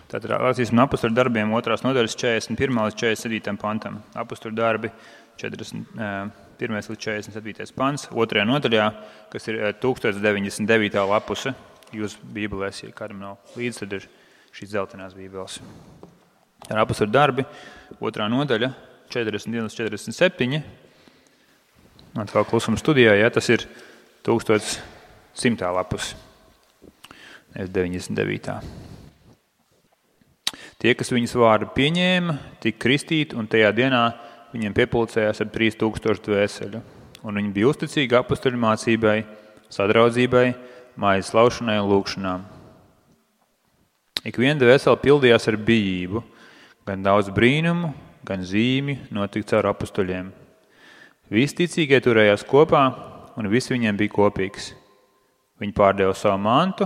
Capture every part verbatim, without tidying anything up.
Tātad lasīsim apustuļu darbiem otrās nodaļas četrdesmit pirmā līdz četrdesmit septītajam pantam. Apustuļu darbi četrdesmit pirmais līdz četrdesmit septītais pants. Otrajā nodaļā, kas ir tūkstoš deviņdesmit devītā lapuse. Jūs bībelēs, ja kādam nav līdzi, tad ir šīs dzeltenās bībeles. Ar apustuļu darbi, otrā nodaļa, četrdesmit viens līdz četrdesmit septiņi. Atkal klusuma studijā, ja tas ir tūkstoš simtā lapuse. Nevis deviņdesmit devītā. Tie, kas viņas vārdu pieņēma, tika kristīti, un tajā dienā viņiem piepulcējās ap trīs tūkstoši dvēseļu. Un viņi bija uzticīgi apustuļu mācībai, sadraudzībai, mājas laušanai un lūkšanām. Ik viena dvēsele pildījās ar bijību, gan daudz brīnumu, gan zīmi notika caur apustuļiem. Visi ticīgie turējās kopā, un viss viņiem bija kopīgs. Viņi pārdeva savu mantu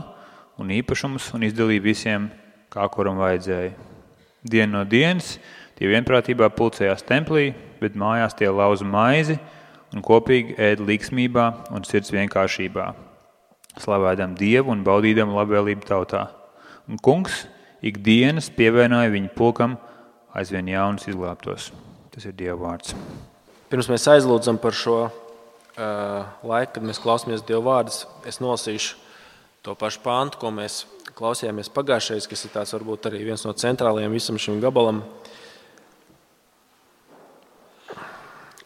un īpašumus un izdalīja visiem, kā kuram vajadzēja. Dienu no dienas tie vienprātībā pulcējās templī, bet mājās tie lauza maizi un kopīgi ēda līgsmībā un sirds vienkāršībā, slavēdam Dievu un baudīdam labvēlību tautā. Un kungs ikdienas pievienoja viņu pulkam aizvien jaunus izglābtos. Tas ir Dieva vārds. Pirms mēs aizlūdzam par šo uh, laiku, kad mēs klausāmies Dieva vārdus, es nolasīšu to pašu pāntu, ko mēs klausījāmies pagājušais, kas ir tāds varbūt arī viens no centrālajiem visam šim gabalam.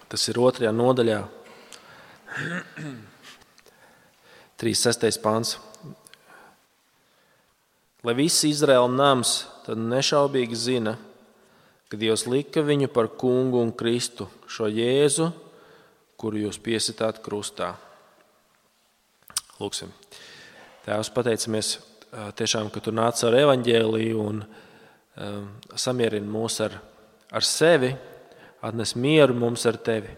Tas ir otrajā nodaļā, trīsdesmit sestais pāns. Lai visi Izraēla nams tad nešaubīgi zina, ka Dievs lika viņu par kungu un Kristu, šo Jēzu, kuru jūs piesitāt krustā. Lūksim. Tēvs, pateicamies tiešām, ka tu nāc ar evaņģēliju un um, samierini mūs ar, ar sevi, atnes mieru mums ar tevi.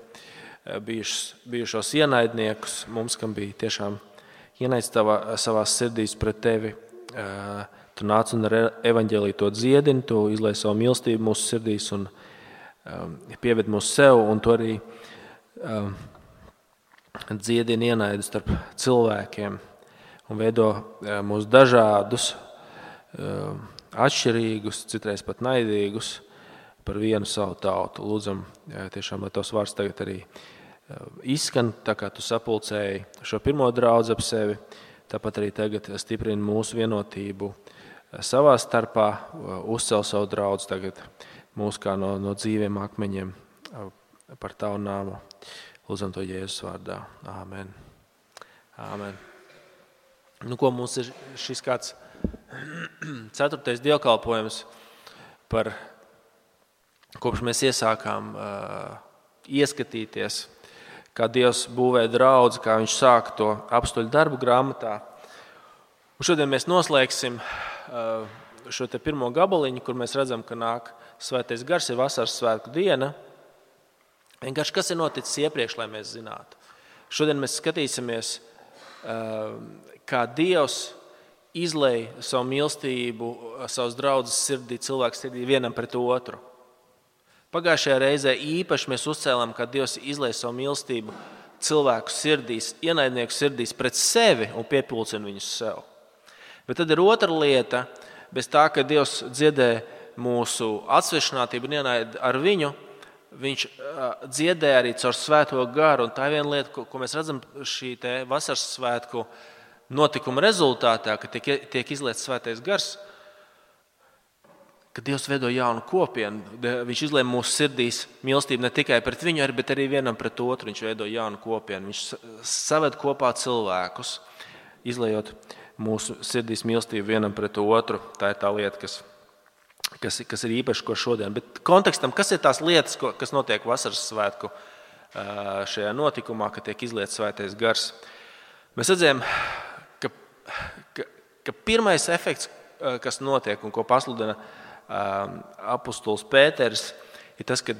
Bijušos, bijušos ienaidniekus, mums, kam bija tiešām ienaids tavā, savās sirdīs pret tevi. Uh, tu nāc un ar evaņģēliju to dziedini, tu izlai savu mīlestību mūsu sirdīs un um, pieved mūs sev, un tu arī um, dziedini ienaidu starp cilvēkiem. Un veido mūs dažādus, atšķirīgus, citreiz pat naidīgus par vienu savu tautu. Lūdzam, tiešām, lai tavs vārds tagad arī izskan, tā kā tu sapulcēji šo pirmo draudzi ap sevi, tāpat arī tagad stiprini mūsu vienotību savā starpā, uzcel savu draudzi tagad mūs kā no, no dzīviem akmeņiem par tavu nāmu. Lūdzam to Jēzus vārdā. Āmen. Āmen. Nu, ko mums ir šis kāds ceturtais dievkalpojums par, kopš mēs iesākām uh, ieskatīties, kā Dievs būvē draudzi, kā viņš sāk to apustuļu darbu grāmatā. Un šodien mēs noslēgsim uh, šo te pirmo gabaliņu, kur mēs redzam, ka nāk svētais gars, ir vasaras svētku diena. Vienkārši kas ir noticis iepriekš, lai mēs zinātu. Šodien mēs skatīsimies, uh, kā Dievs izlej savu mīlestību, savus draudzes sirdī, cilvēku sirdī vienam pret otru. Pagājušajā reizē īpaši mēs uzcēlām, kā Dievs izlej savu mīlestību cilvēku sirdīs, ienaidnieku sirdīs pret sevi un piepulcina viņus sev. Bet tad ir otra lieta, bez tā, ka Dievs dziedē mūsu atsvešinātību un ienaidu ar viņu, viņš dziedē arī caur svēto garu. Un tā ir viena lieta, ko, ko mēs redzam šī te vasaras svētku notikuma rezultātā, ka tiek, tiek izlietas svētais gars, ka Dievs veido jaunu kopienu. Viņš izlej mūsu sirdīs mīlestību ne tikai pret viņu, bet arī vienam pret otru. Viņš veido jaunu kopienu. Viņš saved kopā cilvēkus, izlejot mūsu sirdīs mīlestību vienam pret otru. Tā ir tā lieta, kas, kas, kas ir īpaši ko šodien. Bet kontekstam, kas ir tās lietas, kas notiek vasaras svētku šajā notikumā, kad tiek izlietas svētais gars? Mēs redzējām, Ka, ka, ka pirmais efekts, kas notiek un ko pasludina um, apustulis Pēters, ir tas, ka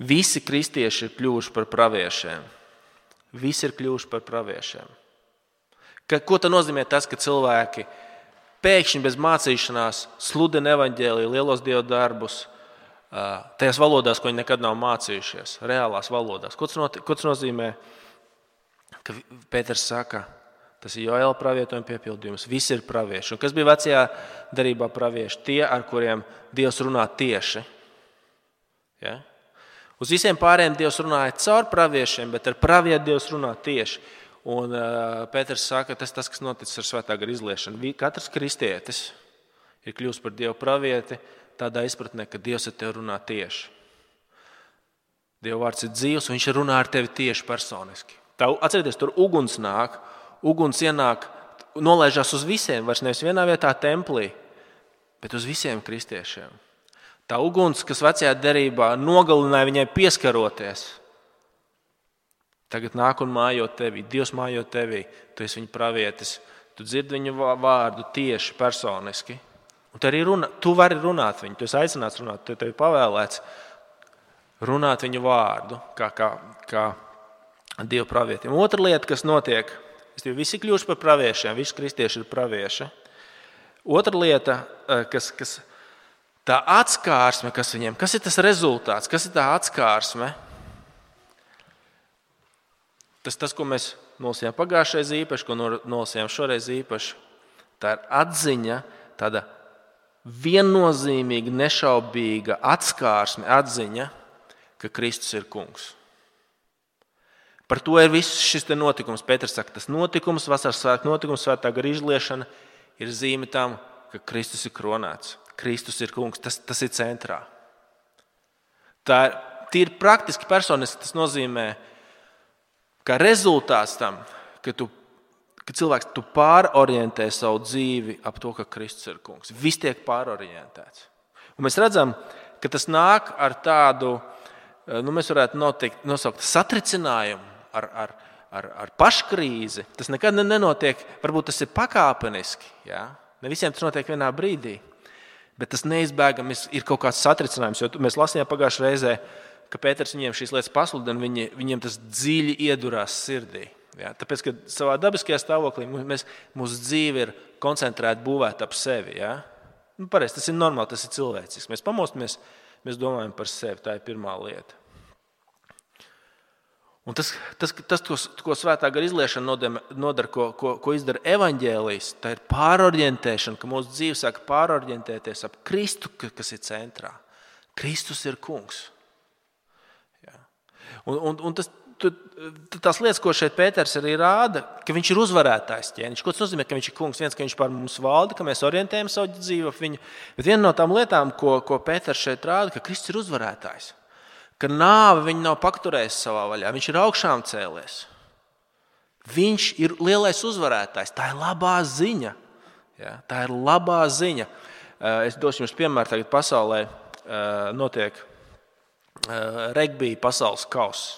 visi kristieši ir kļuvuši par praviešiem. Visi ir kļuvuši par praviešiem. Ka, ko tā nozīmē tas, ka cilvēki pēkšņi bez mācīšanās sludina evaņģēliju, lielos Dieva darbus, uh, tajās valodās, ko viņi nekad nav mācījušies, reālās valodās. Ko tas, not, ko tas nozīmē? Ka Pēters saka, Tas ir Joēla pravietojuma piepildījums. Visi ir pravieši. Un kas bija vecajā derībā pravieši? Tie, ar kuriem Dievs runā tieši. Ja? Uz visiem pārējiem Dievs runāja caur praviešiem, bet ar pravietu Dievs runā tieši. Un uh, Pēters saka, tas tas, kas noticis ar svētā gara izliešanu. Katrs kristietis ir kļūst par Dievu pravieti tādā izpratnē, ka Dievs ar tevi runā tieši. Dieva vārds ir dzīvs, un viņš runā ar tevi tieši personiski. Tā, atcerieties, tur uguns nāk, uguns ienāk, nolaižās uz visiem, vairs nevis vienā vietā templī, bet uz visiem kristiešiem. Tā uguns, kas vecajā derībā nogalināja viņai pieskaroties, tagad nāk un mājo tevī. Dievs mājo tevī, tu esi viņa pravietis, tu dzirdi viņu vārdu tieši personiski. Un tu arī runā, tu vari runāt viņu, tu esi aicināts runāt, tu tevi pavēlēts runāt viņu vārdu, kā, kā, kā Dieva pravietiem. Otra lieta, kas notiek, visi kļūst par praviešiem, visi kristieši ir pravieši. Otra lieta, kas, kas tā atskārsme, kas viņiem, kas ir tas rezultāts, kas ir tā atskārsme? Tas, tas ko mēs nolasījām pagājušais īpaši, ko nolasījām šoreiz īpaši, tā ir atziņa, tāda viennozīmīga, nešaubīga atskārsme, atziņa, ka Kristus ir kungs. Par to ir viss šis te notikums. Pēters saka, tas notikums, vasaras svētku notikums, svētā gara izliešana ir zīme tam, ka Kristus ir kronēts. Kristus ir kungs, tas, tas ir centrā. Tā ir tīri praktiski personiski, tas nozīmē, ka rezultāts tam, ka, tu, ka cilvēks tu pārorientē savu dzīvi ap to, ka Kristus ir kungs. Viss tiek pārorientēts. Un mēs redzam, ka tas nāk ar tādu, nu, mēs varētu noteikt, nosaukt satricinājumu ar, ar, ar, ar paškrīzi. Tas nekad nenotiek, varbūt tas ir pakāpeniski. Ja? Ne visiem tas notiek vienā brīdī, bet tas neizbēgami ir kaut kāds satricinājums. Jo mēs lasījām pagājušajā reizē, ka Pēters viņiem šīs lietas pasludina, viņi, viņiem tas dziļi iedurās sirdī. Ja? Tāpēc, ka savā dabiskajā stāvoklī mēs, mūsu dzīve ir koncentrēta, būvēta ap sevi. Ja? Nu, pareizi, tas ir normāli, tas ir cilvēcisks. Mēs pamostamies, mēs domājam par sevi, tā ir pirmā lieta. Un tas, tas, tas ko, ko svētā gara izliešana nodara, ko, ko, ko izdara evaņģēlijs, tā ir pārorientēšana, ka mūsu dzīve sāk pārorientēties ap Kristu, kas ir centrā. Kristus ir kungs. Ja. Un, un, un tas, tu, tās lietas, ko šeit Pēters arī rāda, ka viņš ir uzvarētājs ķēniņš. Ko tas nozīmē, ka viņš ir kungs? Viens, ka viņš pār mums valda, ka mēs orientējam savu dzīvi ap viņu. Bet viena no tām lietām, ko, ko Pēters šeit rāda, ka Kristus ir uzvarētājs. Ka nāve viņu nav pakturējis savā vaļā. Viņš ir augšām cēlies. Viņš ir lielais uzvarētājs. Tā ir labā ziņa. Ja, tā ir labā ziņa. Es došu jums piemēru, tagad pasaulē notiek regbija pasaules kauss.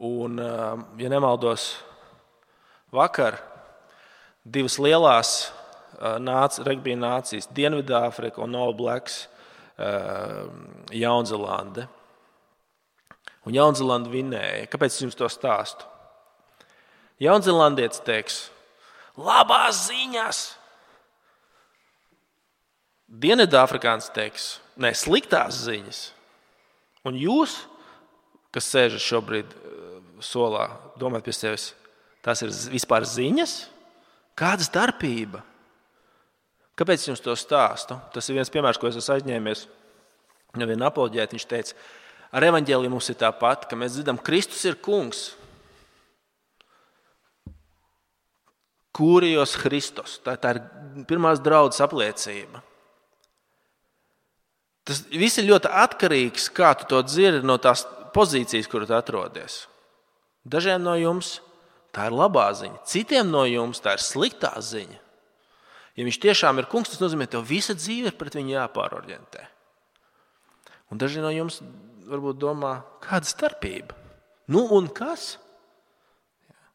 Un, ja nemaldos, vakar divas lielās nāc, regbija nācijas, Dienvidāfrika un All Blacks, Jaunzelande. Un Jaunzelanda vinēja. Kāpēc es jums to stāstu? Jaunzelandietis teiks, labās ziņas. Dienvidāfrikāns teiks, ne, sliktās ziņas. Un jūs, kas sēžat šobrīd solā, domājat pie sevis, tās ir vispār ziņas? Kāda starpība? Kāpēc es jums to stāstu? Tas ir viens piemērs, ko es esmu aizņēmies no viena apoloģēta. Viņš teica, ar evaņģēliju mums ir tāpat, ka mēs dzirdam, Kristus ir kungs. Kūrijos Kristus. Tā, tā ir pirmās draudzes apliecība. Tas viss ir ļoti atkarīgs, kā tu to dzirdi no tās pozīcijas, kur tu atrodies. Dažiem no jums tā ir labā ziņa, citiem no jums tā ir sliktā ziņa. Ja viņš tiešām ir kungs, tas nozīmē, ka tev visa dzīve ir pret viņu jāpārorientē. Un daži no jums varbūt domā, kāda starpība? Nu un kas?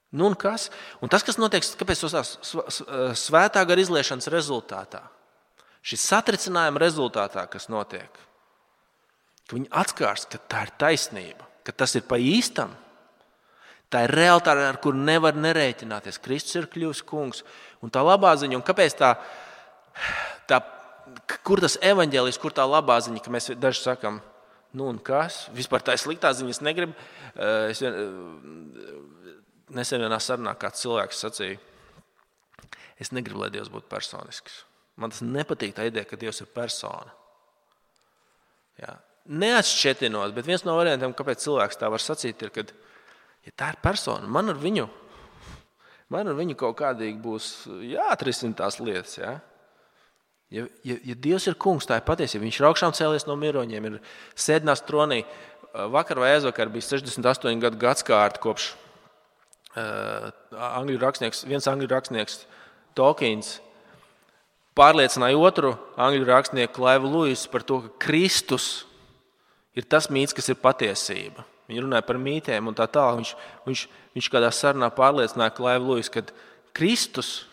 Nu un kas? Un tas, kas notiek, kāpēc tas svētā gara izliešanas rezultātā, šis satricinājuma rezultātā, kas notiek, ka viņi atskārs, ka tā ir taisnība, ka tas ir pa īstam. Tā ir realitāte, ar kuru nevar nerēķināties. Kristus ir kļuvis kungs. Un tā labā ziņa, un kāpēc tā, tā kur tas evaņģēlijs, kur tā labā ziņa, ka mēs daži sakam, nu un kas? Vispār tā ir sliktā ziņa, es negribu. Es, nesen vienā sarunā kāds cilvēks sacīja, es negribu, lai Dievs būtu personisks. Man tas nepatīk tā ideja, ka Dievs ir persona. Jā. Neatšķetinot, bet viens no variantiem, kāpēc cilvēks tā var sacīt, ir, kad ja tā ir persona, man ar viņu, man ar viņu kaut kādīgi būs jāatrisina tās lietas. Jā. Ja, ja, ja Dievs ir kungs, tā ir patiesība. Viņš ir augšām cēlies no miroņiem, ir sēdinās tronī. Vakar vai aizvakar bija sešdesmit astoņi gadu gadskārta kopš uh, angļu rakstnieks, viens angļu rakstnieks Tolkiens pārliecināja otru angļu rakstnieku Klaivu Luisu par to, ka Kristus ir tas mīts, kas ir patiesība. Viņi runāja par mītēm un tā tālāk. Viņš, viņš, viņš kādā sarunā pārliecināja Klaivu Luisu, ka Kristus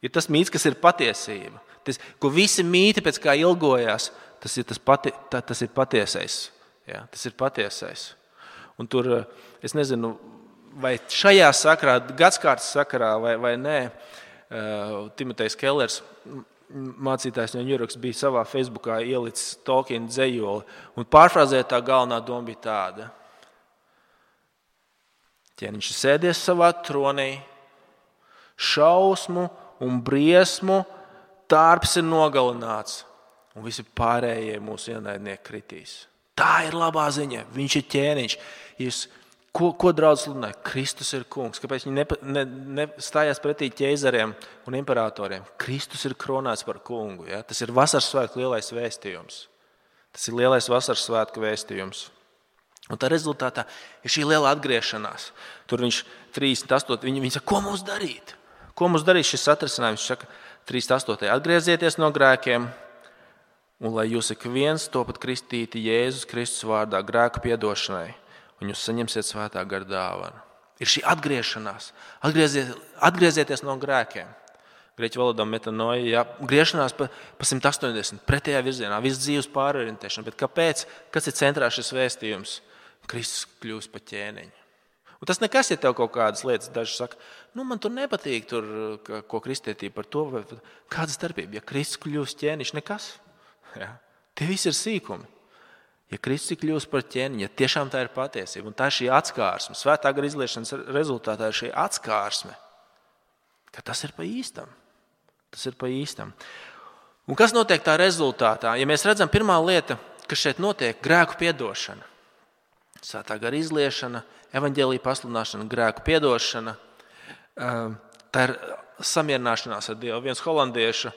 ir tas mīts, kas ir patiesība. Tas, ko visi mīti pēc kā ilgojās, tas ir, tas pati, tā, tas ir patiesais. Jā, tas ir patiesais. Un tur, es nezinu, vai šajā sakarā, gadskārtas sakarā vai, vai nē, Timotejs Kellers, mācītājs no Ņujorkas, bija savā Facebookā ielicis Tolkiena dzejoli. Un pārfrāzēt tā galvenā doma bija tāda. Ķēniņš ir sēdies savā tronī, šausmu un briesmu tārps ir nogalināts, un visi pārējie mūsu ienaidnieki kritīs. Tā ir labā ziņa. Viņš ir ķēniņš. Jūs, ko, ko draudz sludināja? Kristus ir kungs. Kāpēc viņi ne, ne, ne stājās pretī ķeizariem un imperatoriem? Kristus ir kronāts par kungu. Ja? Tas ir vasaras svētku lielais vēstījums. Tas ir lielais vasaras svētku vēstījums. Un tā rezultātā ir šī liela atgriešanās. Tur viņš trīsdesmit astotajā. Viņi, viņi saka, ko mums darīt? Ko mums darīt šis atrisinājums? Viņš saka, trīsdesmit astotajā. Atgriezieties no grēkiem. Un lai jūs ik viens topat kristīti Jēzus Kristus vārdā grēku piedošanai, un jūs saņemsiet svētā gara dāvanu. Ir šī atgriešanās. Atgrieziet, atgriezieties no grēkiem. Grieķu valodā metanoja, jā, griešanās pa, pa simt astoņdesmit pretējā virzienā, viss dzīves pārorientēšana. Bet kāpēc? Kas ir centrā šis vēstījums? Kristus kļūst par ķēniņu. Un tas nekas, ja tev kaut kādas lietas, daži saka, nu man tur nepatīk, tur, ko kristietība par to, vai kāda starpība. Ja Kristus kļūst ķēniņš, nekas. Ja? Tie visi ir sīkumi. Ja Kristus kļūst par ķēniņu, ja tiešām tā ir patiesība, un tā ir šī atskārsme, svētā gara izliešanas rezultātā ir šī atskārsme, ka tas ir pa īstam. Tas ir pa īstam. Un kas notiek tā rezultātā? Ja mēs redzam, pirmā lieta, kas šeit notiek, grēku piedošana. Svētā gara izliešana, evaņģēlija pasludināšana, grēku piedošana, tā ir samierināšanās ar Dievu. Viens holandiešu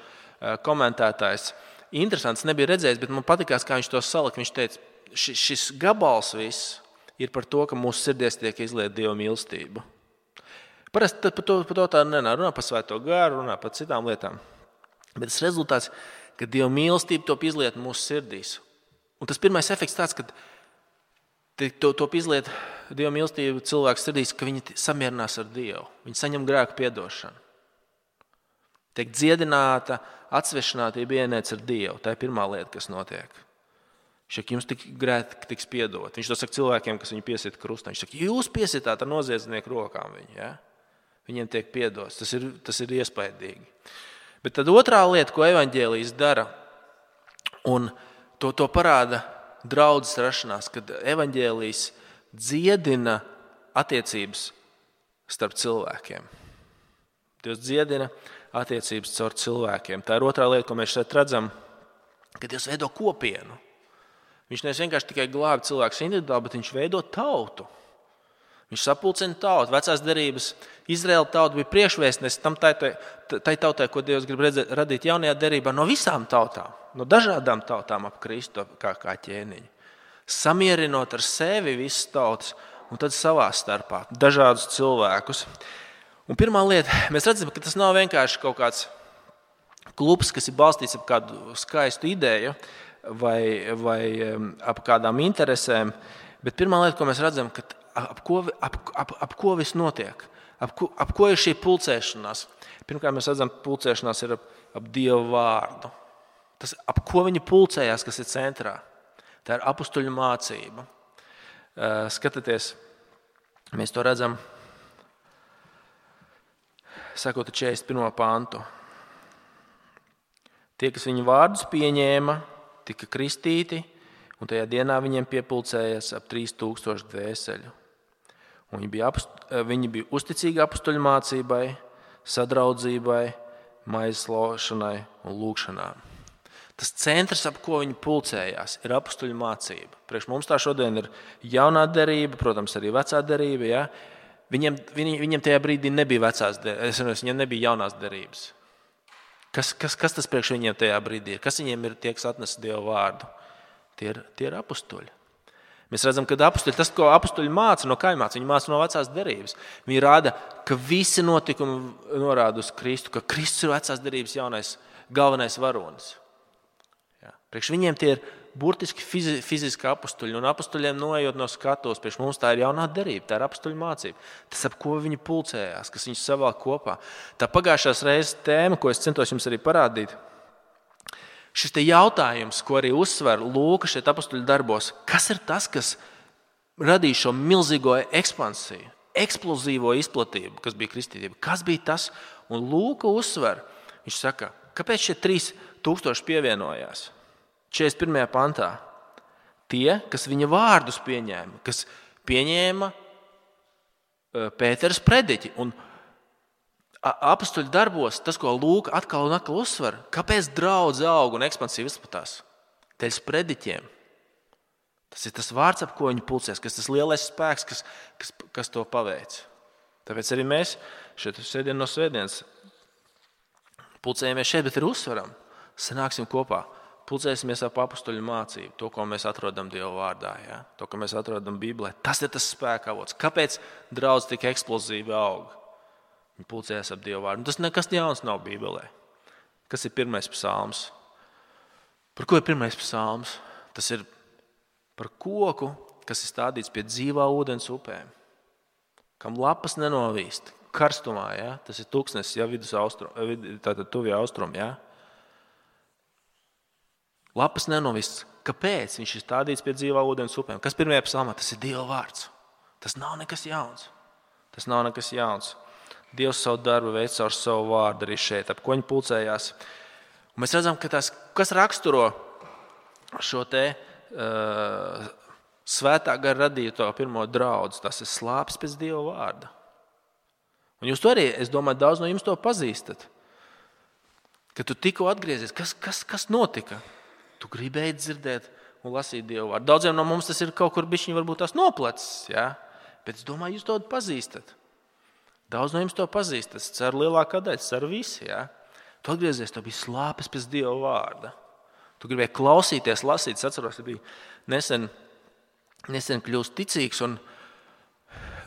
komentētājs, interesants, nebija redzējis, bet man patikās, kā viņš to salika. Viņš teica, šis gabals viss ir par to, ka mūsu sirdies tiek izlieta Dieva mīlestība. Parasti par to, par to tā nenā, runā par svēto garu, runā par citām lietām. Bet tas rezultāts, ka Dieva mīlestība top izlieta mūsu sirdīs. Un tas pirmais efekts tāds, ka to top izlieta Dieva mīlestība cilvēku sirdīs, ka viņi samierinās ar Dievu. Viņi saņem grēku piedošanu. Tiek dziedināta, atsvešinātība ienēc ar Dievu. Tā ir pirmā lieta, kas notiek. Viņš saka, jums tik grēki tiks piedot. Viņš to saka cilvēkiem, kas viņu piesita krustā. Viņš saka, jūs piesitāt ar noziedznieku rokām viņu. Ja? Viņiem tiek piedots. Tas ir, tas ir iespaidīgi. Bet tad otrā lieta, ko evaņģēlijs dara, un to, to parāda draudzes rašanās, kad evaņģēlijs dziedina attiecības starp cilvēkiem. Dievs dziedina attiecības caur cilvēkiem. Tā ir otrā lieta, ko mēs šeit redzam, ka Dievs veido kopienu. Viņš nevis vienkārši tikai glābi cilvēkus individuāli, bet viņš veido tautu. Viņš sapulcina tautu. Vecās derības Izraēla tauta bija priekšvēstnesis tam tai, tai tautai, ko Dievs grib redzēt, radīt jaunajā derībā no visām tautām, no dažādām tautām ap Kristu kā, kā ķēniņu. Samierinot ar sevi visas tautas un tad savā starpā dažādus cilvēkus. Un pirmā lieta, mēs redzam, ka tas nav vienkārši kaut kāds klubs, kas ir balstīts ap kādu skaistu ideju vai, vai ap kādām interesēm, bet pirmā lieta, ko mēs redzam, ka ap ko, ap, ap, ap ko viss notiek, ap ko, ap ko ir šī pulcēšanās. Pirmkārt, mēs redzam, pulcēšanās ir ap, ap Dieva vārdu. Tas, ap ko viņi pulcējās, kas ir centrā. Tā ir apustuļu mācība. Skatieties, mēs to redzam. Sakot četrdesmit pirmo pantu. Tie, kas viņu vārdus pieņēma, tika kristīti, un tajā dienā viņiem piepulcējās ap trīs tūkstoši dvēseļu. Un viņi, bija apst, viņi bija uzticīgi apustuļu mācībai, sadraudzībai, maizes laušanai un lūgšanām. Tas centrs, ap ko viņi pulcējās, ir apustuļu mācība. Priekš mums tā šodien ir jaunā derība, protams, arī vecā derība. Ja? Viņiem, viņi, viņiem tajā brīdī nebija vecās derības, viņiem nebija jaunās derības. Kas, kas, kas tas priekš viņiem tajā brīdī ir? Kas viņiem ir tie, kas atnes Dievu vārdu? Tie ir, tie ir apustuļi. Mēs redzam, ka apustuļi, tas, ko apustuļi māca no kā viņi māca, viņi māca no vecās derības. Viņi rāda, ka visi notikumi norāda uz Kristu, ka Kristus ir vecās derības jaunais, galvenais varonis. Jā. Priekš viņiem tie ir burtiski fizi, fiziski apustuļi, un apustuļiem noejot no skatuves, priekš mums tā ir jaunā derība, tā ir apustuļu mācība. Tas, ap ko viņi pulcējās, kas viņus savalk kopā. Tā pagājušās reizes tēma, ko es centos jums arī parādīt, šis te jautājums, ko arī uzsver Lūka šeit apustuļu darbos, kas ir tas, kas radīja šo milzīgo ekspansiju, eksplozīvo izplatību, kas bija kristītība? Kas bija tas? Un Lūka uzsver, viņš saka, kāpēc šie trīs tūkstoši pievienojās? četrdesmit pirmajā pantā. Tie, kas viņa vārdus pieņēma, kas pieņēma Pētera prediķi. Un apustuļu darbos, tas, ko Lūka atkal un atkal uzsver, kāpēc draudze aug un ekspansija izplatās? Dēļ prediķiem. Tas ir tas vārds, ap ko viņi pulcēs, kas tas lielais spēks, kas, kas, kas to paveic. Tāpēc arī mēs šeit sēdien no svētdienas pulcējamies šeit, bet ir uzsveram. Sanāksim kopā. Pulcēsimies ap apustuļu mācību, to, ko mēs atrodam Dieva vārdā, ja? To, ko mēs atrodam Bībelē. Tas ir tas spēka avots. Kāpēc draudze tik eksplozīvi aug? Viņi pulcējās ap Dieva vārdu. Tas nekas jauns nav Bībelē. Kas ir pirmais psalms? Par ko ir pirmais psalms? Tas ir par koku, kas ir stādīts pie dzīvā ūdens upēm, kam lapas nenovīst, karstumā. Ja? Tas ir tūkstnesis, ja, vidus austrum, tātad tuvie austrumi. Ja? Lapas nenovīst. Kāpēc viņš ir stādīts pie dzīvā ūdens upēm? Kas pirmajā psalmā? Tas ir Dieva vārds. Tas nav nekas jauns. Tas nav nekas jauns. Dievs savu darbu veic caur savu vārdu arī šeit, ap ko viņi pulcējās. Un mēs redzam, ka tas, kas raksturo šo te uh, svētā gara radīto pirmo draudzi, tas ir slāpes pēc Dieva vārda. Un jūs to arī, es domāju, daudz no jums to pazīstat. Kad tu tikko atgriezies, kas, kas, kas notika? Tu gribēji dzirdēt un lasīt Dievu vārdu. Daudziem no mums tas ir kaut kur bišķiņ varbūt tās noplecis, ja? Bet es domāju, jūs to pazīstat. Daudz no jums to pazīstat. Es ceru lielākā daļa, ceru visi. Ja? Tu atgriezies, tu biji slāpes pēc Dieva vārda. Tu gribēji klausīties, lasīt. Es atceros, ka bija nesen, nesen kļūst ticīgs un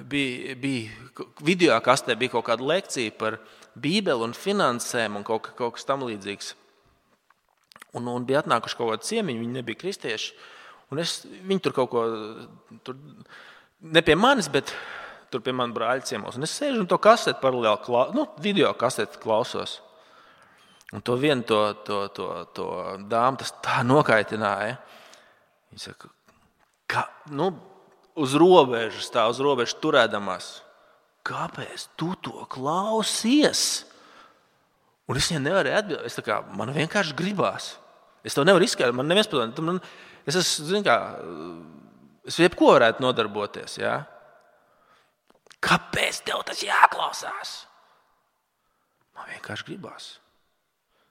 bija, bija video kastē bija kaut kāda lekcija par Bībeli un finansēm un kaut, kaut kas tam līdzīgs. Un, un bija atnākuši kaut kādi ciemiņi, viņi nebija kristieši. Un es, viņi tur kaut ko, tur, ne pie manis, bet tur pie man brāļa ciemos. Un es sēžu un to kaseti paralēli, klau, nu, video kaseti klausos. Un to vienu to, to, to, to dāmu tas tā nokaitināja. Viņa saka, ka, nu, uz robežas, tā uz robežas turēdamās. Kāpēc tu to klausies? Un es viņai nevarēju atbildēt. Es tā kā, man vienkārši gribās. Es to nevaru izskaidrot. Man neviens padomā. Man, es esmu, zin kā, es jebko varētu nodarboties. Ja? Kāpēc tev tas jāklausās? Man vienkārši gribās.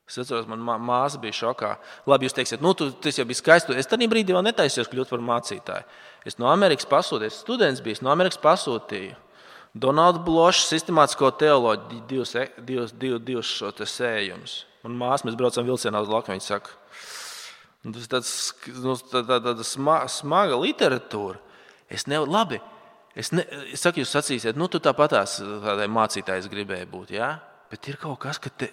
Es atceros, man mā, māsa bija šokā. Labi, jūs teiksiet, nu, tu, tas jau bija skaisti. Es tādā brīdī vēl netaisījos kļūt par mācītāju. Es no Amerikas pasūtīju, es students biju, no Amerikas pasūtīju. Donalda Bloša sistemātisko teoloģiju, divus, divus, divus, divus šo te sējumus. Un māsa, mēs braucam vilcienā uz Latviju, viņa saka, tas ir tāds, nu, tāda, tāda smaga literatūra. Es nevaru, labi, es, ne, es saku, jūs sacīsiet, nu, tu tāpatās tādai mācītājs gribēji būt, jā? Bet ir kaut kas, ka te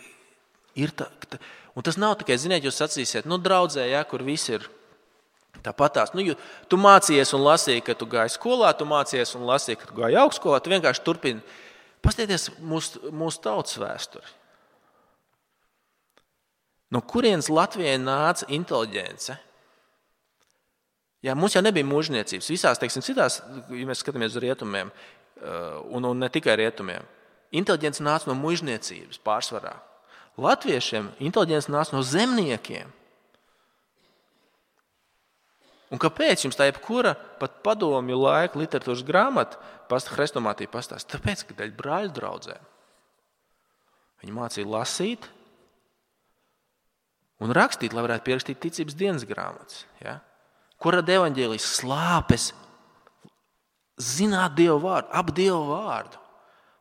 ir tā, ka te, un tas nav tikai, ziniet, jūs sacīsiet, nu, draudzē, jā, kur visi ir tāpatās. Nu, tu mācījies un lasīji, ka tu gāji skolā, tu mācījies un lasīji, ka tu gāji augstskolā, tu vienkārši turpini. Paskatieties mūsu, mūsu tautas vēsturi. No kurienes Latvijai nāca inteliģence? Jā, mums jau nebija mūžniecības. Visās, teiksim, citās, ja mēs skatāmies uz rietumiem, un, un ne tikai rietumiem, inteliģence nāca no mūžniecības pārsvarā. Latviešiem inteliģence nāca no zemniekiem. Un kāpēc jums tā jebkura pat padomju laika literatūras grāmata pasta hrestomātija pastāst? Tāpēc, ka daļa brāļu draudzēm. Viņi mācīja lasīt un rakstīt, lai varētu pierakstīt ticības dienas grāmatas. Ja? Ko rada evaņģēlijas? Slāpes, zināt Dievu vārdu, ap Dievu vārdu.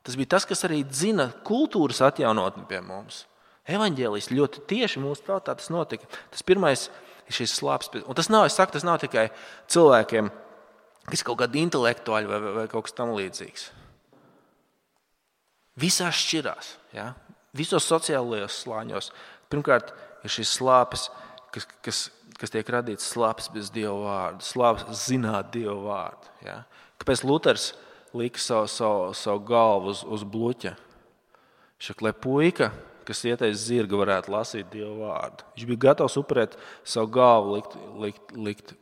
Tas bija tas, kas arī dzina kultūras atjaunotni pie mums. Evaņģēlijas ļoti tieši mūsu tautā tas notika. Tas pirmais ir šis slāpes. Un tas nav, es saku, tas nav tikai cilvēkiem, kas kaut kādi intelektuāļi vai, vai kaut kas tam līdzīgs. Visās šķirās, ja? Visos sociālajos slāņos. Pirmkārt, ir šis slāpes, kas, kas, kas tiek radīts slāpes bez Dieva vārdu, slāpes zināt Dieva vārdu. Ja? Kāpēc Luters lika savu, savu, savu galvu uz, uz bluķa? Šak, lai puika, kas ieteic zirga, varētu lasīt Dieva vārdu. Viņš bija gatavs upurēt savu galvu, likt, likt, likt.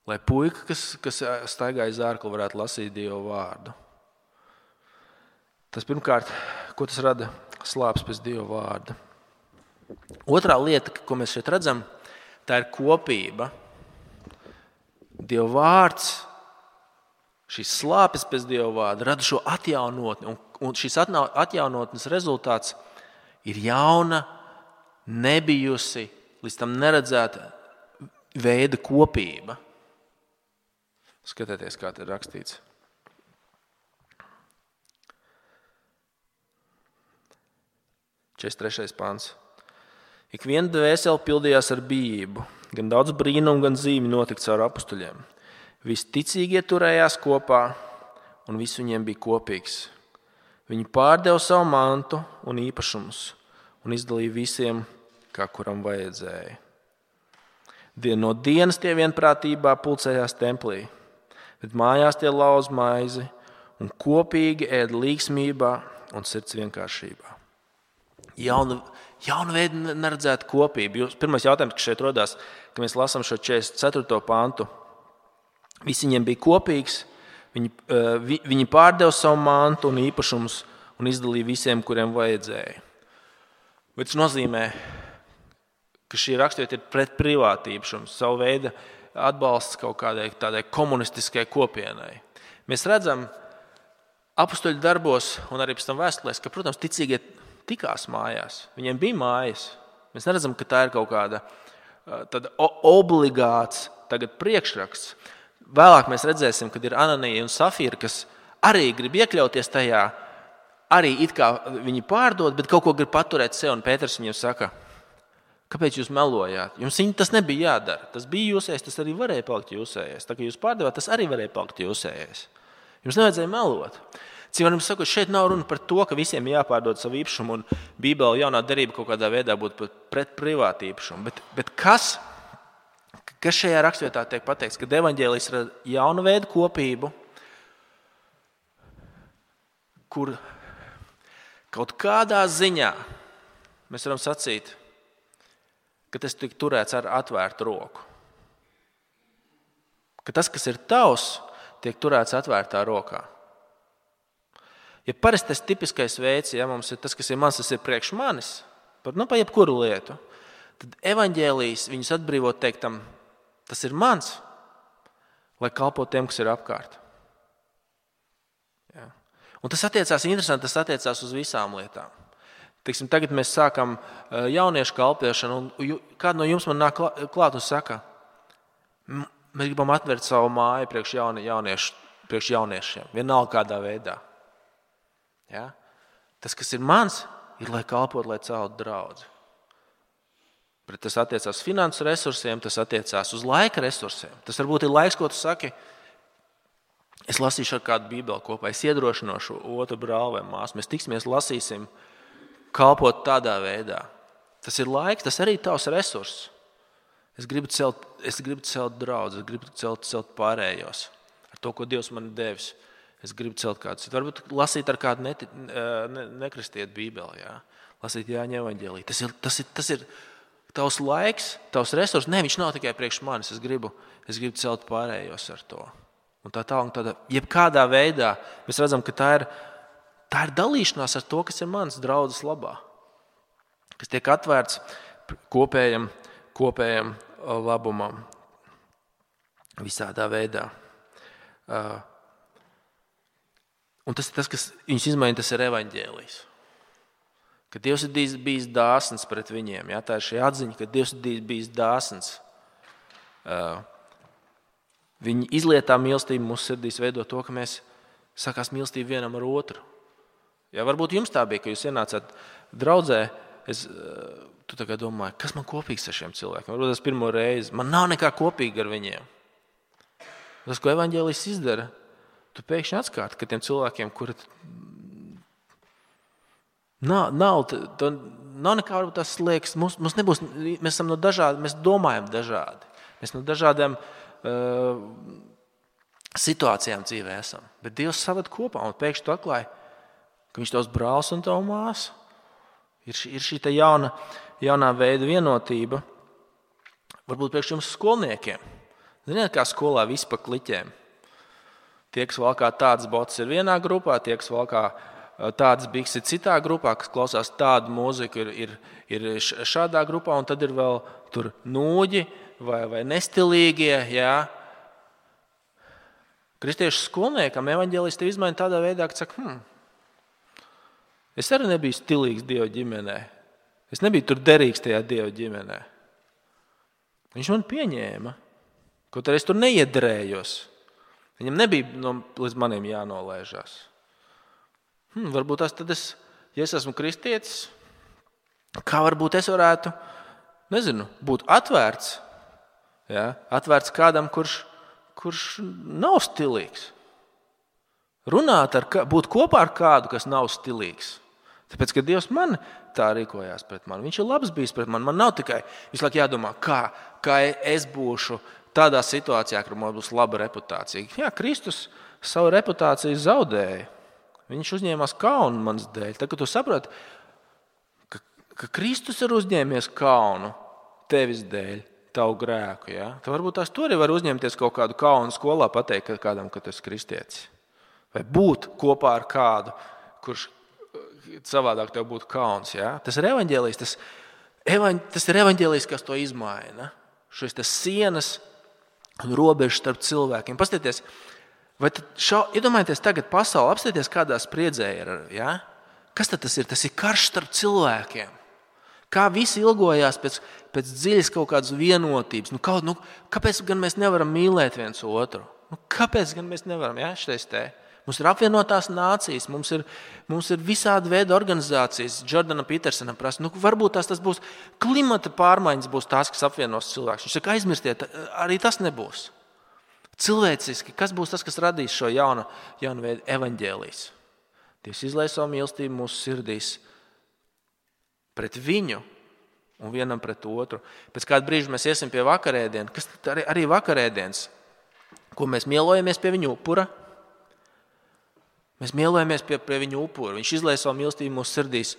Lai puika, kas, kas staigāja zārkli, varētu lasīt Dieva vārdu. Tas pirmkārt, ko tas rada? Slāpes bez Dieva vārda. Otrā lieta, ko mēs šeit redzam, tā ir kopība. Dieva vārds, šīs slāpes bez Dieva vārda rada šo atjaunotni. Un, un šis atjaunotnes rezultāts ir jauna, nebijusi, līdz tam neredzēta veida kopība. Skatieties, kā te ir rakstīts. četrdesmit trešais pants. Ik viena dvēsele pildījās ar bijību, gan daudz brīnumu, gan zīmi notika caur apustuļiem. Visi ticīgie turējās kopā, un viss viņiem bija kopīgs. Viņi pārdeva savu mantu un īpašumus, un izdalīja visiem, kā kuram vajadzēja. No dienas tie vienprātībā pulcējās templī, bet mājās tie lauz maizi, un kopīgi ēd līgsmībā un sirds vienkāršībā. Jauna, jauna veida neredzēta kopība. Jūs, pirmais jautājums, kas šeit rodās, ka mēs lasām šo četrdesmit ceturto pantu. Visi viņiem bija kopīgs, viņi, vi, viņi pārdeva savu mantu un īpašumus un izdalīja visiem, kuriem vajadzēja. Bet tas nozīmē, ka šī raksturvieta ir pret privātību, savu veidu atbalsts kaut kādai tādai komunistiskai kopienai. Mēs redzam apustuļu darbos un arī pēc tam vēstulēs, ka, protams, ticīgie tikās mājās. Viņiem bija mājas. Mēs neredzam, ka tā ir kaut kāda tāda obligāts tagad priekšraksts. Vēlāk mēs redzēsim, kad ir Ananija un Safīra, kas arī grib iekļauties tajā, arī it kā viņi pārdod, bet kaut ko grib paturēt sev. Un Pēters viņiem saka, kāpēc jūs melojāt? Jums tas nebija jādara. Tas bija jūsējais, tas arī varēja palikt jūsējais. Tā kā jūs pārdevāt, tas arī varēja palikt jūsējais. Jums nevajadzēja melot. Cīm sakot, šeit nav runa par to, ka visiem jāpārdod savu īpašumu un Bībele jaunā derība kaut kādā veidā būtu pret privātu īpašumu. Bet, bet kas, kas šajā rakstvietā tiek pateikts? Kad evaņģēlijs ir jauna veida kopību, kur kaut kādā ziņā mēs varam sacīt, ka tas tiek turēts ar atvērtu roku. Ka tas, kas ir tavs, tiek turēts atvērtā rokā. Ja parasti tas tipiskais veids, ja mums ir tas, kas ir mans, tas ir priekš manis, par, nu, pa jebkuru lietu, tad evaņģēlijs viņus atbrīvot teiktam, tas ir mans, lai kalpo tiem, kas ir apkārt. Ja. Un tas attiecās, interesanti, tas attiecās uz visām lietām. Teiksim, tagad mēs sākam jauniešu kalpošanu, un kādu no jums man nāk klāt un saka, mēs gribam atvērt savu māju priekš, jauni, jauniešu, priekš jauniešiem, vienalga kādā veidā. Ja? Tas, kas ir mans, ir, lai kalpot, lai celtu draudzi. Bet tas attiecās uz finansu resursiem, tas attiecās uz laika resursiem. Tas varbūt ir laiks, ko tu saki, es lasīšu ar kādu bībeli kopā, es iedrošinošu otru brāli vai māsu, mēs tiksimies, lasīsim, kalpot tādā veidā. Tas ir laiks, tas arī tavs resurss. Es gribu celt, es gribu celt draudzi, es gribu celt, celt pārējos ar to, ko Dievs man ir devis. Es gribu celt kādu citu. Varbūt lasīt ar kādu neti, ne, nekristiet bībeli. Jā. Lasīt Jāņa evaņģēliju. Tas ir, tas, ir, tas ir tavs laiks, tavs resurs. Nē, viņš nav tikai priekš manis. Es gribu, es gribu celt pārējos ar to. Un tā tā un tādā, jebkādā veidā mēs redzam, ka tā ir, tā ir dalīšanās ar to, kas ir mans draudzes labā. Kas tiek atvērts kopējam, kopējam labumam visādā veidā. Un tas ir tas, kas viņus izmaina, tas ir evaņģēlijs. Ka Dievs ir bijis dāsns pret viņiem. Ja? Tā ir šī atziņa, ka Dievs ir bijis dāsns. Viņa izlietā mīlestība mūsu sirdīs veido to, ka mēs sākās mīlestību vienam ar otru. Ja, varbūt jums tā bija, ka jūs ienācāt draudzē, es tu tagad domāju, kas man kopīgs ar šiem cilvēkiem? Varbūt tas pirmo reizi. Man nav nekā kopīga ar viņiem. Tas, ko evaņģēlijs izdara, tu pēkšņi atskāti, ka tiem cilvēkiem, kuri nav, nav, to, nav nekā, varbūt tas liekas, mums, mums nebūs, mēs esam no dažādi, mēs domājam dažādi. Mēs no dažādiem uh, situācijām dzīvē esam. Bet Dievs saved kopā un pēkšņi tu atklāji, ka viņš tavs brālis un tavu māsu. Ir šī, ir šī tā jauna, jaunā veida vienotība. Varbūt priekš jums skolniekiem. Ziniet, kā skolā viss pa kliķēm. Tie, kas valkā tādas botas ir vienā grupā, tie, kas valkā tādas bikses ir citā grupā, kas klausās tādu mūziku ir, ir, ir šādā grupā, un tad ir vēl tur nūģi vai, vai nestilīgie. Jā. Kristiešu skolniekam evaņģēlijs tev izmaina tādā veidā, ka saka, hmm, es arī nebiju stilīgs Dieva ģimenē. Es nebiju tur derīgs tajā Dieva ģimenē. Viņš man pieņēma. Kaut arī es tur neiedrējos. Viņam nebija no, līdz maniem jānolēžās. Hmm, varbūt tas tad es, ja es esmu kristietis, kā varbūt es varētu, nezinu, būt atvērts. Ja? Atvērts kādam, kurš, kurš nav stilīgs. Runāt ar, būt kopā ar kādu, kas nav stilīgs. Tāpēc, ka Dievs man tā rīkojās pret mani. Viņš ir labs bijis pret mani. Man nav tikai visu laiku jādomā, kā, kā es būšu tādā situācijā, kur man būs laba reputācija. Jā, Kristus savu reputāciju zaudēja. Viņš uzņēmās kaunu manas dēļ. Tad, kad tu saproti, ka, ka Kristus ir uzņēmies kaunu tevis dēļ, tavu grēku, ja? Tad varbūt tās tu arī var uzņemties kaut kādu kaunu skolā, pateikt kādam, ka tu esi kristietis. Vai būt kopā ar kādu, kurš savādāk tev būtu kauns. Ja? Tas ir evaņģēlijs, tas, evaņ, tas ir evaņģēlijs, kas to izmaina. Šis tas sienas un robežas starp cilvēkiem. Pastieties, vai šau, iedomājieties tagad pasauli, apstieties kādā spriedzē ir, ja? Kas tad tas ir? Tas ir karš starp cilvēkiem. Kā visi ilgojās pēc, pēc dziļas kaut kādas vienotības. Nu, kaut, nu, kāpēc gan mēs nevaram mīlēt viens otru? Nu, kāpēc gan mēs nevaram? Ja? Šitais te. Mums ir apvienotās nācijas, mums ir, mums ir visādi veidi organizācijas. Jordana Petersona prasa, nu, varbūt tās tas būs klimata pārmaiņas, būs tās, kas apvienos cilvēkus. Viņš saka, aizmirstiet, arī tas nebūs. Cilvēciski, kas būs tas, kas radīs šo jaunu, jaunu veidu evaņģēlijs? Dievs izlai savu mīlestību mūsu sirdīs pret viņu un vienam pret otru. Pēc kāda brīža mēs iesim pie vakarēdienas, kas arī, arī vakarēdienas, ko mēs mielojamies pie viņa upura. Mēs mielojamies pie, pie viņa upura. Viņš izlai savu mīlestību mūsu sirdīs.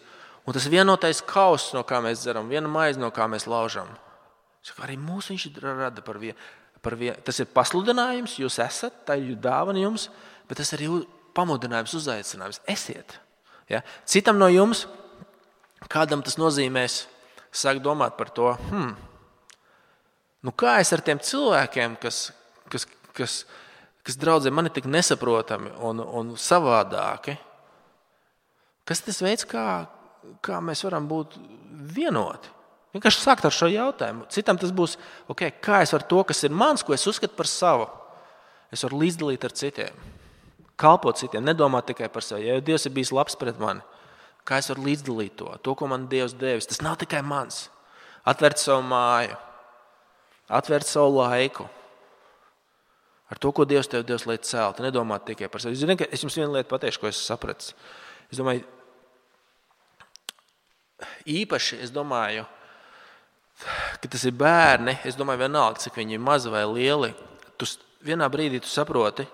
Un tas vienotais kauss, no kā mēs dzeram, viena maize, no kā mēs laužam. Saka, arī mūs viņš rada par vienu. Par vien. Tas ir pasludinājums, jūs esat, tā ir dāvana jums, bet tas ir arī pamudinājums, uzaicinājums. Esiet. Ja? Citam no jums, kādam tas nozīmēs, sāk domāt par to, hmm, nu kā es ar tiem cilvēkiem, kas, kas, kas kas draudzē man ir tik nesaprotami un, un savādāki. Kas tas veids, kā, kā mēs varam būt vienoti? Vienkārši sākt ar šo jautājumu. Citam tas būs, okay, kā es varu to, kas ir mans, ko es uzskatu par savu, es varu līdzdalīt ar citiem. Kalpot citiem, nedomāt tikai par sevi. Ja Dievs ir bijis labs pret mani, kā es varu līdzdalīt to, to, ko man Dievs devis. Tas nav tikai mans. Atvērt savu māju, atvērt savu laiku. Ar to, ko Dievs tev Dievs liek celt, nedomāt tikai par sevi. Zini, es jums vienu lietu pateikšu, ko es sapratu. Es domāju, īpaši, es domāju, ka tas ir bērni, es domāju, vienalga, cik viņi ir mazi vai lieli, tu vienā brīdī tu saproti,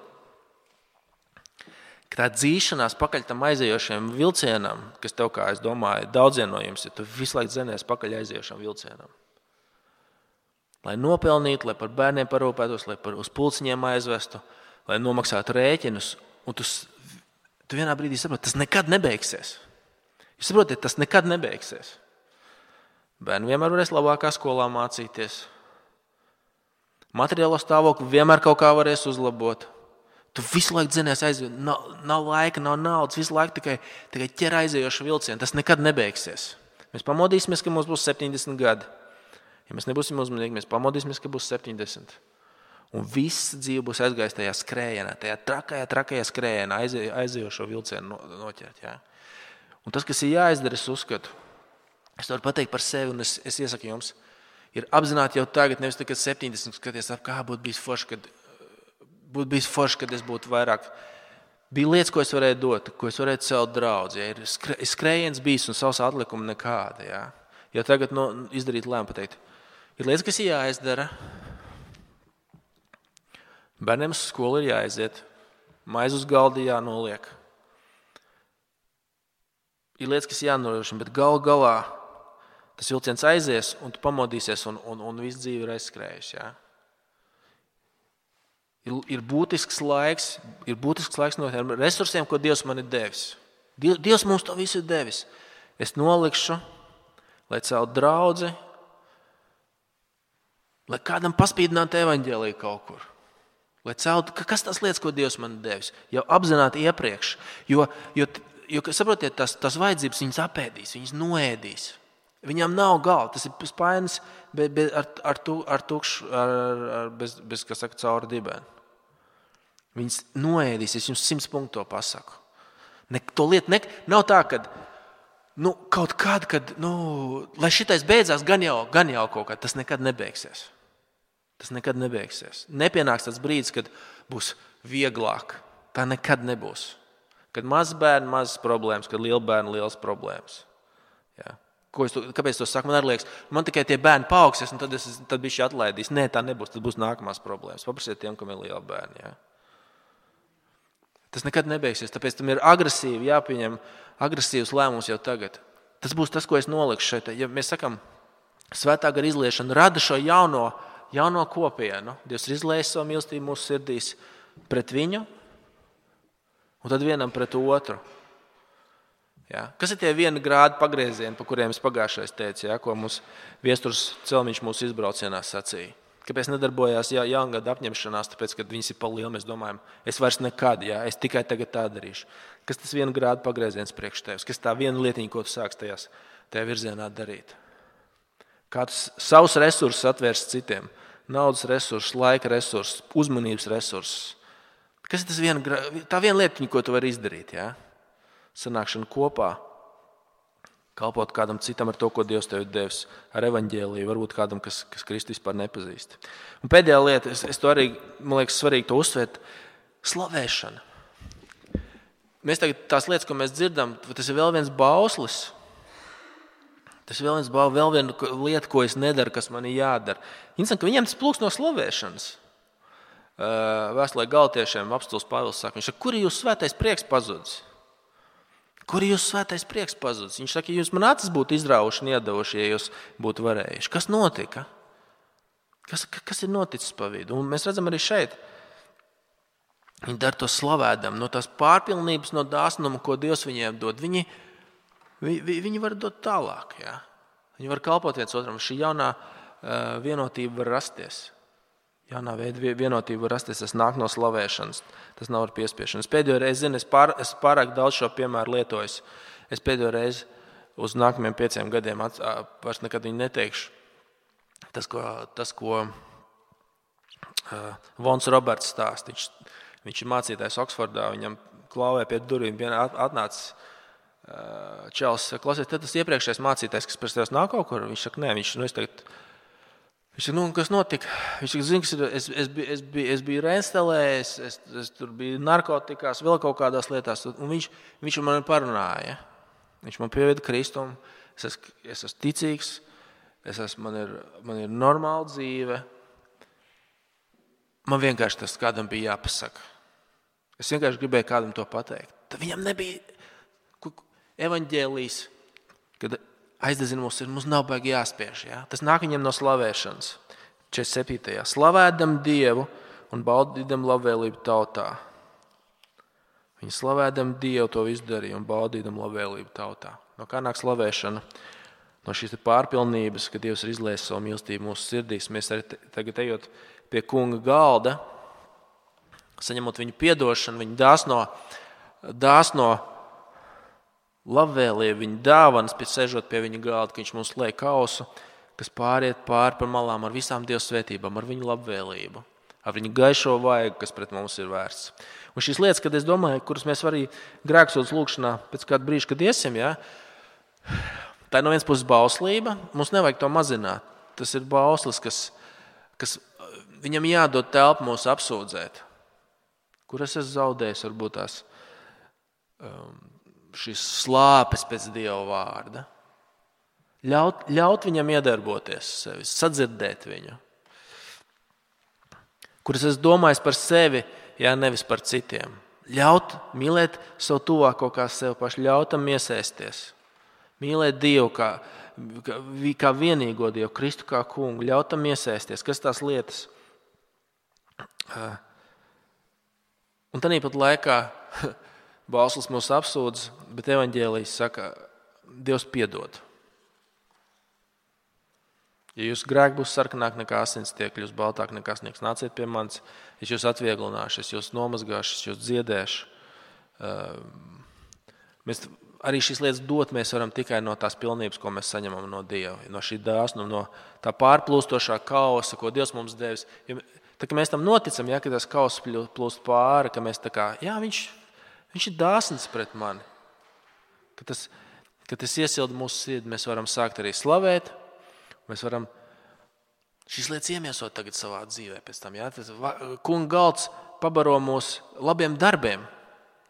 ka tā dzīšanās pakaļ tam aizējošiem vilcienam, kas tev, kā es domāju, daudziem no jums ir, tu visu laiku dzenies pakaļ aizējošam vilcienam. Lai nopelnītu, lai par bērniem parūpētos, lai par uz pulciņiem aizvestu, lai nomaksātu rēķinus. Un tu, tu vienā brīdī saproti, tas nekad nebeigsies. Jūs saprotiet, tas nekad nebeigsies. Bērni vienmēr varēs labākā skolā mācīties. Materiālo stāvokli vienmēr kaut kā varēs uzlabot. Tu visu laiku dzenies aiziet, nav, nav laika, nav naudas, visu laiku tikai, tikai ķer aizējošu vilcienu. Tas nekad nebeigsies. Mēs pamodīsimies, ka mums būs septiņdesmit gadi. Ja mēs nebūsim uzmanīgi, mēs pamodīsimies, ka būs septiņdesmit. Un viss dzīve būs aizgājis tajā skrējienā, tajā trakajā, trakajā skrējienā, aizējošo vilcienu noķert. Jā. Un tas, kas ir jāizdara, es uzskatu, es varu pateikt par sevi, un es, es iesaku jums, ir apzināti jau tagad, nevis tagad septiņdesmit, skaties, kā būtu bijis forši, kad, būtu bijis forši, kad es būtu vairāk. Bija lietas, ko es varēju dot, ko es varēju celt draudz. Ja. Ir skrējiens bijis un savs atlikumi nekāda. Ja. Ja tagad no, izdarīt lēmu pateikt, ir lietas, kas ir jāizdara. Bērniem uz skolu ir jāaiziet, maize uz galda jānoliek. Ir lietas, kas jānorošina, bet gal galā tas vilciens aizies, un tu pamodīsies, un, un, un viss dzīve ir aizskrējusi. Ja? Ir, ir būtisks laiks, ir būtisks laiks no tiem resursiem, ko Dievs man ir devis. Dievs mums to visu ir devis. Es nolikšu, lai celtu draudzi, lai kādam paspīdinātu evaņģēliju kaut kur. Lai celtu, kas tas lietas, ko Dievs man ir devis? Jau apzināti iepriekš. Jo, jo, jo saprotiet, tas, tas vajadzības viņas apēdīs, viņas noēdīs. Viņām nav gala, tas ir spainis be, be, ar, ar, tu, ar tukšu, ar, ar, bez, bez, kas saka, cauri dibēni. Viņas noēdīs, es jums simts punktu to pasaku. Ne, to lietu ne, nav tā, ka nu, kaut kāda, kad, nu, lai šitais beidzās, gan jau, gan jau kaut kā, tas nekad nebeigsies. Tas nekad nebeigsies. Nepienāks tāds brīdis, kad būs vieglāk. Tā nekad nebūs. Kad mazs bērni, mazas problēmas, kad liela bērni, lielas problēmas. Jā. Ko es to, kāpēc to saku? Man arī liekas, man tikai tie bērni paaugsies, un tad, es, tad bišķi atlaidīs. Nē, tā nebūs, tad būs nākamās problēmas. Paprasiet tiem, kam ir liela bērni. Jā. Tas nekad nebeigsies, tāpēc tam ir agresīvi jāpieņem agresīvs lēmums jau tagad. Tas būs tas, ko es nolikšu šeit. Ja mēs sakam, svētā gara izliešana rada šo jauno, jauno kopienu. Dievs ir izliejis savu mīlestību mūsu sirdīs pret viņu, un tad vienam pret otru. Ja? Kas ir tie viena grāda pagriezieni, pa kuriem es pagājušais teicu, ja? Ko mums Viesturs Celmiņš mūsu izbraucienā sacīja? Kāpēc nedarbojās ja, jaungada apņemšanās, tāpēc, kad viņas ir pa lielu, mēs domājam, es vairs nekad, ja? Es tikai tagad tā darīšu. Kas tas viena grāda pagrieziens priekš tevis? Kas tā viena lietiņa, ko tu sāks tajās, tajā virzienā darīt? Kā tu savus resursus atvērst citiem? Naudas resursus, laika resursus, uzmanības resursus. Kas ir tas viena, tā viena lietiņa, ko tu vari izdarīt, ja? Sanākšana kopā, kalpot kādam citam ar to, ko Dievs tev ir devis, ar evaņģēliju, varbūt kādam, kas, kas Kristu vispār nepazīst. Un pēdējā lieta, es, es to arī, man liekas, svarīgi to uzsvērt, slavēšana. Mēs tagad tās lietas, ko mēs dzirdam, tas ir vēl viens bauslis. Tas ir vēl viens bauslis, vēl viena lieta, ko es nedaru, kas man ir jādara. Interesanti, ka viņiem tas plūks no slavēšanas. Vēstulē Galatiešiem apostuls Pāvils saka, viņš saka, kur ir jūsu svētais prieks pazudis? Kur ir jūsu svētais prieks pazudis? Viņš saka, ja jūs man acis būtu izraujuši un iedavuši, ja jūs būtu varējuši. Kas notika? Kas, kas ir noticis pa vidu? Un mēs redzam arī šeit. Viņi dara to slavēdam. No tās pārpilnības, no dāsnuma, ko Dievs viņiem dod, viņi, vi, viņi var dot tālāk. Ja? Viņi var kalpot viens otram. Šī jaunā uh, vienotība var rasties. Jaunā veida vienotība var rasties, tas nāk no slavēšanas, tas nav ar piespiešanas. Pēdējo reizi, zinu, es, pār, es pārāk daudz šo piemēru lietojos. Es pēdējo reizi uz nākamajiem pieciem gadiem at, vairs nekad viņu neteikšu. Tas, ko, tas, ko uh, Vons Roberts stāst, viņš, viņš ir mācītājs Oksfordā, viņam klauvē pie durvīm, atnācis uh, čels, klausies, tad tas iepriekšējais mācītājs, kas pēc tevis nāk kaut kur, viņš saka, nē, viņš, nu, es tagad, Viņš saka, nu, kas notika? Viņš saka, zini, kas ir, es, es, biju, es, biju, es biju Renstelē, es, es, es tur biju narkotikās, vēl kaut kādās lietās, un viņš, viņš man parunāja. Viņš man pieveda Kristumu, es esmu, es esmu ticīgs, es esmu, man, ir, man ir normāla dzīve. Man vienkārši tas kādam bija jāpasaka. Es vienkārši gribēju kādam to pateikt. Tad viņam nebija evaņģēlijs, kad aizdedzina mums, mums nav baigi jāspiež. Ja? Tas nāk viņiem no slavēšanas. četrdesmit septītajā Slavēdam Dievu un baudīdam labvēlību tautā. Viņi slavēdam Dievu to visu darīja un baudīdam labvēlību tautā. No kā nāk slavēšana? no šīs pārpilnības, ka Dievs ir izliejis savu mīlestību mūsu sirdīs. Mēs arī tagad ejot pie kunga galda, saņemot viņu piedošanu, viņu dāsno, dāsno labvēlību, viņa dāvanas, pēc sežot pie viņa galda, ka viņš mums liek kausu, kas pāriet pāri par malām ar visām Dieva svētībām, ar viņu labvēlību, ar viņu gaišo vaigu, kas pret mums ir vērsts. Un šīs lietas, kad es domāju, kuras mēs arī grēksūdzes lūkšanā pēc kāda brīža, kad iesim, ja, tā ir no vienas puses bauslība, mums nevajag to mazināt. Tas ir bauslis, kas, kas viņam jādod telpu mūs apsūdzēt. Kur es esmu zaudējis, varbūt tās um, šīs slāpes pēc Dieva vārda. Ļaut, ļaut viņam iedarboties sevi, sadzirdēt viņu. Kur es esmu domājis par sevi, jā, nevis par citiem. Ļaut mīlēt savu tuvāko kā sevi pašu, ļautam iesaisties. Mīlēt Dievu kā, kā, kā vienīgo Dievu, Kristu kā kungu, ļautam iesaisties. Kas tās lietas? Un tāpat laikā bauslis mūs apsūdz, bet evaņģēlijs saka, Dievs piedod. Ja jūs grēki būs sarkanāk nekā asins, tie kļūs baltāk nekā sniegs, nāciet pie manis, es jūs atvieglināšu, es jūs nomazgāšu, es jūs dziedēšu. Mēs arī šīs lietas dot mēs varam tikai no tās pilnības, ko mēs saņemam no Dieva, no šī dāsnuma, no tā pārplūstošā kausa, ko Dievs mums devis. Ja, tā, ka mēs tam noticam, ja, ka tas kauss plūst pāri, ka mēs tā kā, jā, viņš, viņš ir dāsns pret mani. Ka tas, ka tas iesilda mūsu sirdi, mēs varam sākt arī slavēt. Mēs varam šīs lietas iemiesot tagad savā dzīvē pēc tam. Ja? Tas kunga galds pabaro mūs labiem darbiem.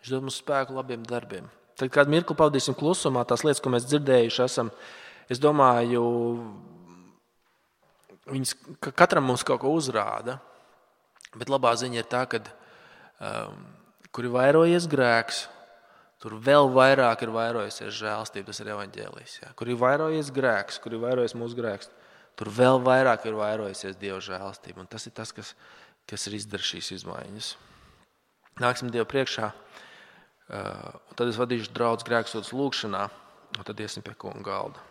Viņš dod mums spēku labiem darbiem. Tad kādu mirkli pavadīsim klusumā, tās lietas, ko mēs dzirdējuši esam, es domāju, viņas katram mums kaut ko uzrāda. Bet labā ziņa ir tā, ka um, kur ir vairojies grēks, tur vēl vairāk ir vairojusies žēlstība, tas ir evaņģēlijs. Ja? Kur ir vairojies grēks, kur ir vairojies mūsu grēks, tur vēl vairāk ir vairojusies Dieva žēlstība. Un tas ir tas, kas, kas ir izdara šīs izmaiņas. Nāksim Dievu priekšā, un tad es vadīšu draudz grēksūdzes lūkšanā, un tad iesim pie kunga galda.